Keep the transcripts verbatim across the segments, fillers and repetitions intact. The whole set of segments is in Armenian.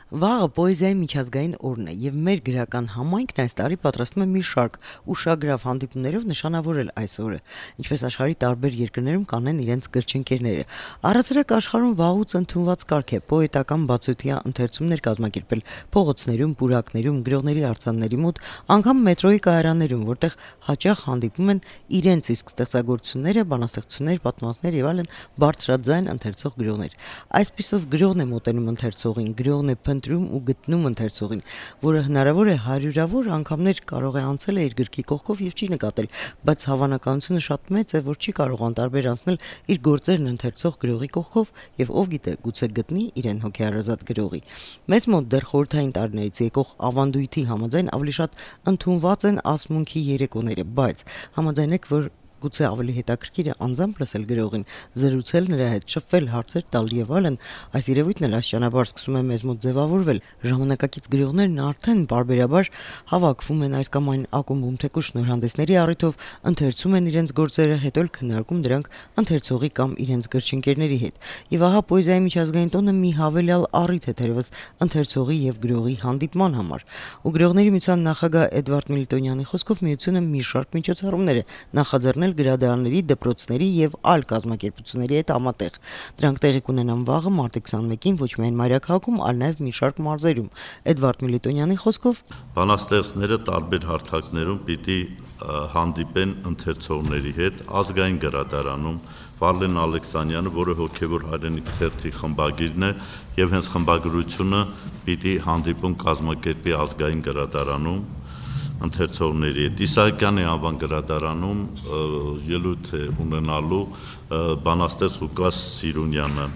Վաղը պոեզիայի միջազգային օրն է եւ մեր գրական համայնքն այս տարի պատրաստում է մի շարք ուշագրավ հանդիպումներով նշանավորել այս օրը, ինչպես աշխարհի տարբեր երկրներում կանեն իրենց գրչընկերները։ Առհասարակ աշխարհում վաղուց ընդունված կարգ է պոետական բացօթյա ընթերցումներ կազմակերպել փողոցներում, պուրակներում, գրողների արձանների մոտ, անգամ մետրոյի կայարաններում, որտեղ հաճախ հանդիպում են իրենց իսկ ստեղծագործությունները, բանաստեղծություններ, պատմվածքներ եւ այլն բարձրաձայն ընթերցող գրողներ։ Այսպիսով գրողն է մոտենում ընթերցողին, գրողն է ընտրում ու գտնում ընթերցողին, որը հնարավոր է հարյուրավոր անգամներ կարող է անցել է իր գրքի կողքով եւ չի նկատել, բայց հավանականությունը շատ մեծ է, որ չի կարող անտարբեր անցնել իր գործերն ընթերցող գրողի կողքով եւ ով գիտե, գուցե գտնի իրեն հոգեհարազատ գրողի։ Մեզ մոտ դեռ խորհրդային տարիներից եկող ավանդույթի համաձայն ավելի շատ ընդունված են ասմունքի երեկոները, բայց համաձայնեք, որ գուցե ավելի հետաքրքիր է անձամբ լսել գրողին, զրուցել նրա հետ, շփվել, հարցեր տալ եւ այլն, այս երևույթն էլ աստիճանաբար սկսում է մեզ մոտ ձևավորվել։ Ժամանակակից գրողներն արդեն բարբերաբար հավաքվում են այս կամ այն ակումբում, թեկուզ շնորհանդեսների առիթով, ընթերցում են իրենց գործերը, հետո էլ քննարկում դրանք ընթերցողի կամ իրենց գրչընկերների հետ։ Եվ ահա պոեզիայի միջազգային տոնը մի հավելյալ առիթ է թերևս ընթերցողի եւ գրողի հանդիպման համար։ Ու գրողների միության նախագահ Էդվարդ Միլիտոնյանի խոսքով միությունը մի շարք միջոցառումներ է նախաձեռնել գրադարանների, դպրոցների եւ այլ կազմակերպությունների հետ համատեղ։ Դրանք տեղի կունենան վաղը մարտի քսանմեկին ոչ միայն Մայրաքաղաքում, այլ նաեւ մի շարք մարզերում։ Էդվարդ Միլիտոնյանի խոսքով բանաստեղծները տարբեր հարթակներում պիտի հանդիպեն ընթերցողների հետ ազգային գրադարանում։ Վարլեն Ալեքսանյանը, որը հոգևոր հայրենիք թերթի խմբագիրն է եւ հենց խմբագրությունը պիտի հանդիպում կազմակերպի ազգային գրադարանում ընթերցողների հետ։ Իսահակյանի անվան գրադարանում ելույթ է ունենալու բանաստեղծ Ղուկաս Սիրունյանը։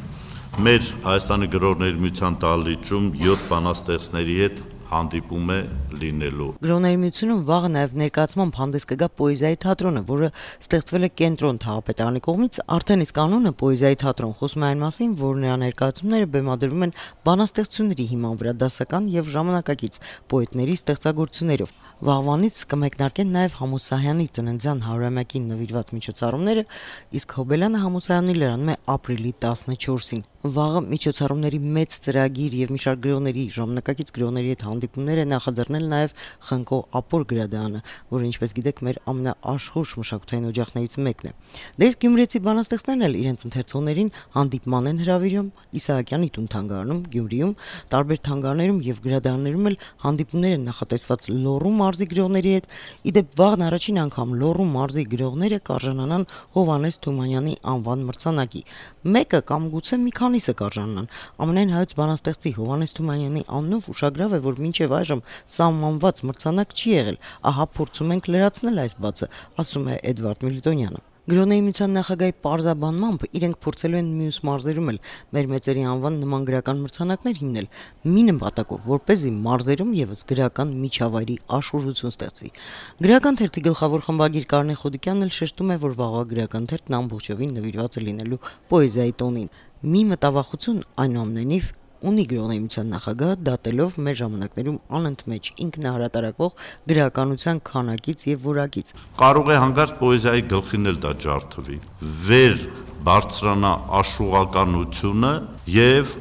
Մեր Հայաստանի գրողների միության դահլիճում յոթ բանաստեղծների հետ հանդիպում է լինելու։ Գրողների միությունում վաղը նաև ներկայացմամբ հանդես կգա պոեզիայի թատրոնը, որը ստեղծվել է Կենտրոն թաղապետարանի կողմից, արդեն իսկ անունը պոեզիայի թատրոն խոսում է այն մասին, որ նրա ներկայացումները բեմադրվում են բանաստեղծությունների հիման վրա դասական եւ ժամանակակից պոետների ստեղծագործություններով։ Վաղվանից կմեկնարկեն նաև Համոսահյանի ծննդյան հարյուրամյակին նվիրված միջոցառումները, իսկ Հոբելյանը Համոսահյանի լրանում է ապրիլի տասնչորսին։ Վաղը միջոցառումների մեծ ծրագիր եւ մի շարք գրողների, ժամանակակից գրողների հետ հանդիպումներ է նախաձեռնել նաև Խնկո Ապոր գրադարանը, որը ինչպես գիտեք մեր ամենաաշխույժ մշակութային օջախներից մեկն է։ Դե իսկ գյումրեցի բանաստեղծներն էլ իրենց ընթերցողներին հանդիպման են հրավիրում Իսահակյանի տուն թանգարանում, Գյումրիում, տարբեր թանգարաններում եւ գրադարաններում էլ հանդիպումներ են նախատեսված Լոռու մարզի գրողների հետ։ Իդեպ վաղն առաջին անգամ Լոռու մարզի գրողները կարժանանան Հովհաննես Թումանյանի անվան մրցանակի։ Մեկը կամ գուցե մի քանիսը կարժանանան։ Ամենայն հայոց բանաստեղծի Հովհաննես Թումանյանի անունով ուշագրավ է, որ մինչև այժմ սահմանված մրցանակ չի եղել։ Ահա փորձում ենք լրացնել այս բացը, ասում է Էդվարդ Միլիտոնյանը։ Գրողների միության նախագահի պարզաբանմամբ իրենք փորձելու են մյուս մարզերում էլ մեր մեծերի անվան նման գրական մրցանակներ հիմնել, մի նպատակով, որպեսզի մարզերում եւս գրական միջավայրի աշուրություն ստեղծվի։ Գրական թերթի գլխավոր խմբագիր Կարնե Խոդիկյանն էլ շեշտում է, որ վաղվա գրական թերթն ամբողջովին նվիրված է լինելու պոեզիայի տոնին։ Մի մտավախություն այնուամենայնիվ ունի գրողների միության նախագահը, դատելով մեր ժամանակներում անընդմեջ ինքնահարատարակվող գրականության քանակից եւ որակից։ Կարող է հանկարծ պոեզիայի գլխին էլ դա ջարդվի։ Վեր բարձրանա աշուղականությունը եւ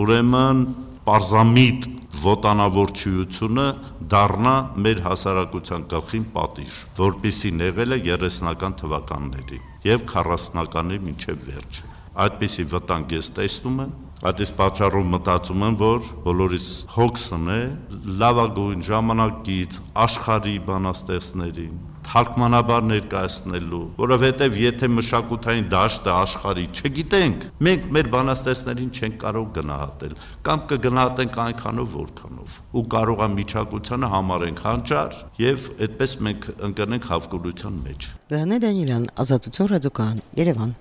ուրեմն պարզամիտ ոտանավորչությունը դառնա մեր հասարակության գլխին պատիժ, որպիսին եղել է երեսնական թվականների եւ քառասունականի մինչեւ վերջ։ Այդպիսի վտանգ ես տեսնում եմ։ Այդ իսկ պատճառով մտածում եմ, որ բոլորիս հոգսն է լավագույն ժամանակից աշխարհի բանաստեղծներին թարգմանաբար ներկայացնելու, որովհետև եթե մշակութային դաշտը աշխարհի չգիտենք, մենք մեր բանաստեղծներին չենք կարող գնահատել, կամ կգնահատենք այնքանով, որքանով, ու կարող է միջակայությանը համարենք հանճար, եւ այդպես մենք ընկնենք հավկուրության մեջ։ Լեոնիդ Դանիելյան, Ազատություն ռադիոկայան, Երևան։